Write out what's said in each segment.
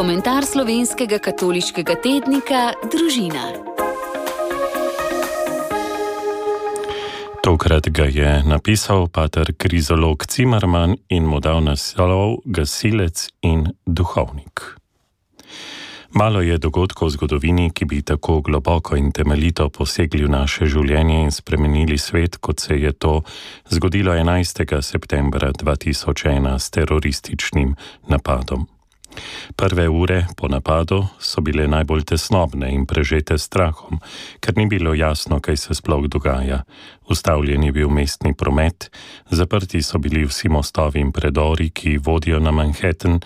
Komentar slovenskega katoliškega tednika Družina. Tokrat ga je napisal pater krizolog Cimerman in mu dal naslov Gasilec in duhovnik. Malo je dogodkov v zgodovini, ki bi tako globoko in temeljito posegli v naše življenje in spremenili svet, kot se je to zgodilo 11. septembra 2001 s terorističnim napadom. Prve ure po napadu so bile najbolj tesnobne in prežete strahom, ker ni bilo jasno, kaj se sploh dogaja. Ustavljen je bil mestni promet, zaprti so bili vsi mostovi in predori, ki vodijo na Manhattan,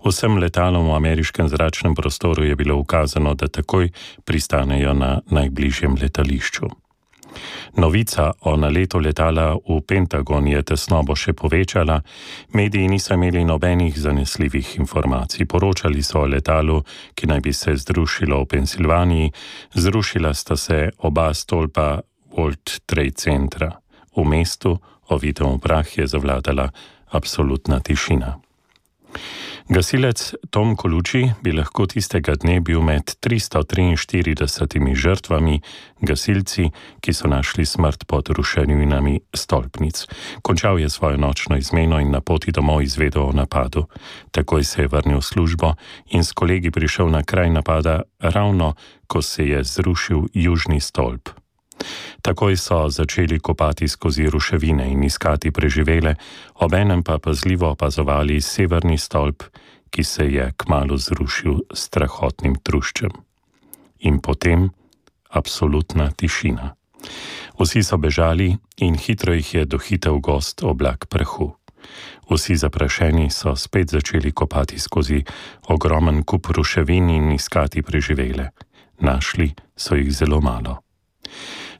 vsem letalom v ameriškem zračnem prostoru je bilo ukazano, da takoj pristanejo na najbližjem letališču. Novica o naletu letala v Pentagon je tesnobo še povečala, mediji niso imeli nobenih zanesljivih informacij. Poročali so o letalu, ki naj bi se zrušilo v Pensilvaniji, zrušila sta se oba stolpa World Trade Centra. V mestu, ovitem v prah, je zavladala absolutna tišina. Gasilec Tom Colucci bi lahko tistega dne bil med 343 žrtvami, gasilci, ki so našli smrt pod ruševinami stolpnic. Končal je svojo nočno izmeno in na poti domov izvedel o napadu. Takoj se je vrnil v službo in s kolegi prišel na kraj napada ravno, ko se je zrušil južni stolp. Takoj so začeli kopati skozi ruševine in iskati preživele, obenem pa pazljivo opazovali severni stolp, ki se je kmalu zrušil s strahotnim truščem. In potem absolutna tišina. Vsi so bežali in hitro jih je dohitel gost oblak prahu. Vsi zaprašeni so spet začeli kopati skozi ogromen kup ruševin in iskati preživele. Našli so jih zelo malo.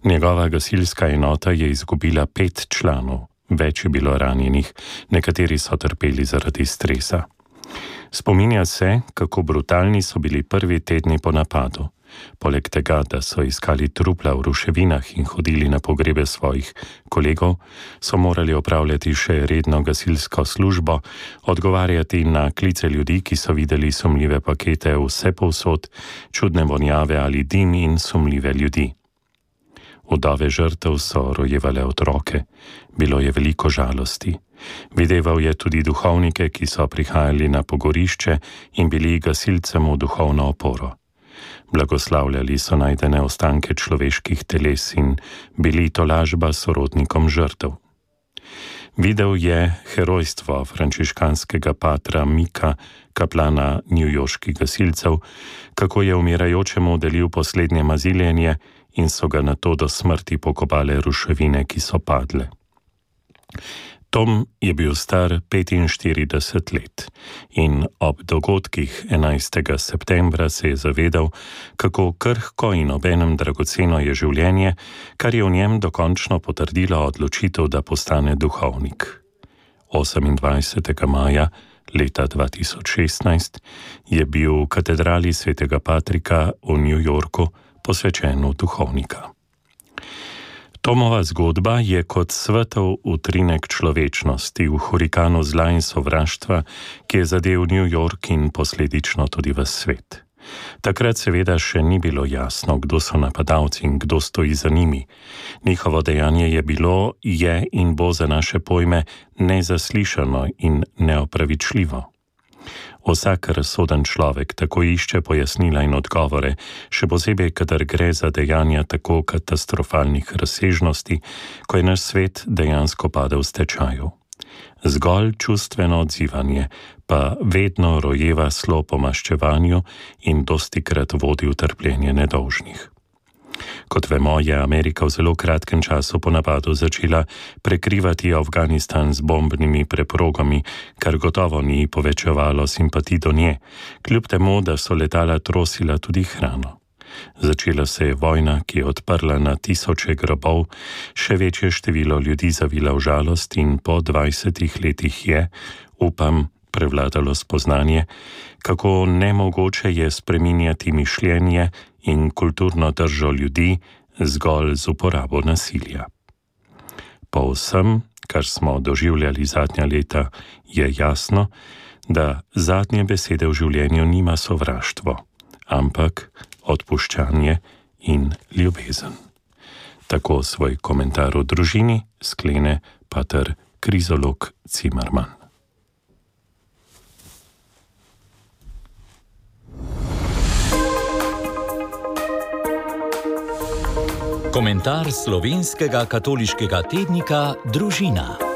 Njegova gasilska enota je izgubila 5 članov, več je bilo ranjenih, nekateri so trpeli zaradi stresa. Spominja se, kako brutalni so bili prvi tedni po napadu. Poleg tega, da so iskali trupla v ruševinah in hodili na pogrebe svojih kolegov, so morali opravljati še redno gasilsko službo, odgovarjati na klice ljudi, ki so videli sumljive pakete vse povsod, čudne vonjave ali dim in sumljive ljudi. Vdove žrtev so rojevale otroke, bilo je veliko žalosti. Videval je tudi duhovnike, ki so prihajali na pogorišče in bili gasilcem v duhovno oporo. Blagoslavljali so najdene ostanke človeških teles in bili tolažba sorodnikom žrtev. Videl je herojstvo frančiškanskega patra Mika, kaplana newyorških gasilcev, kako je umirajočemu delil poslednje maziljenje in so ga nato do smrti pokopale ruševine, ki so padle. Tom je bil star 45 let in ob dogodkih 11. septembra se je zavedal, kako krhko in obenem dragoceno je življenje, kar je v njem dokončno potrdilo odločitev, da postane duhovnik. 28. maja leta 2016 je bil v katedrali svetega Patrika v New Yorku posvečen v duhovnika. Tomova zgodba je kot svetov utrinek človečnosti v hurikanu zla in sovraštva, ki je zadel New York in posledično tudi ves svet. Takrat seveda še ni bilo jasno, kdo so napadalci in kdo stoji za njimi. Njihovo dejanje je bilo, je in bo za naše pojme nezaslišano in neopravičljivo. Vsak razsoden človek tako išče pojasnila in odgovore, še posebej, kadar gre za dejanja tako katastrofalnih razsežnosti, ko je naš svet dejansko padel v stečaju. Zgolj čustveno odzivanje pa vedno rojeva slo po maščevanju in dostikrat vodi v trpljenje nedolžnih. Kot vemo, je Amerika v zelo kratkem času po napadu začela prekrivati Afganistan z bombnimi preprogami, kar gotovo ni povečevalo simpatij do nje, kljub temu, da so letala trosila tudi hrano. Začela se je vojna, ki je odprla na tisoče grobov, še večje število ljudi zavila v žalost in po 20 letih je, upam, prevladalo spoznanje, kako nemogoče je spreminjati mišljenje in kulturno držo ljudi zgolj z uporabo nasilja. Po vsem, kar smo doživljali zadnja leta, je jasno, da zadnje besede v življenju nima sovraštvo, ampak odpuščanje in ljubezen. Tako svoj komentar o družini sklene pater Krizolog Cimerman. Komentar slovenskega katoliškega tednika Družina.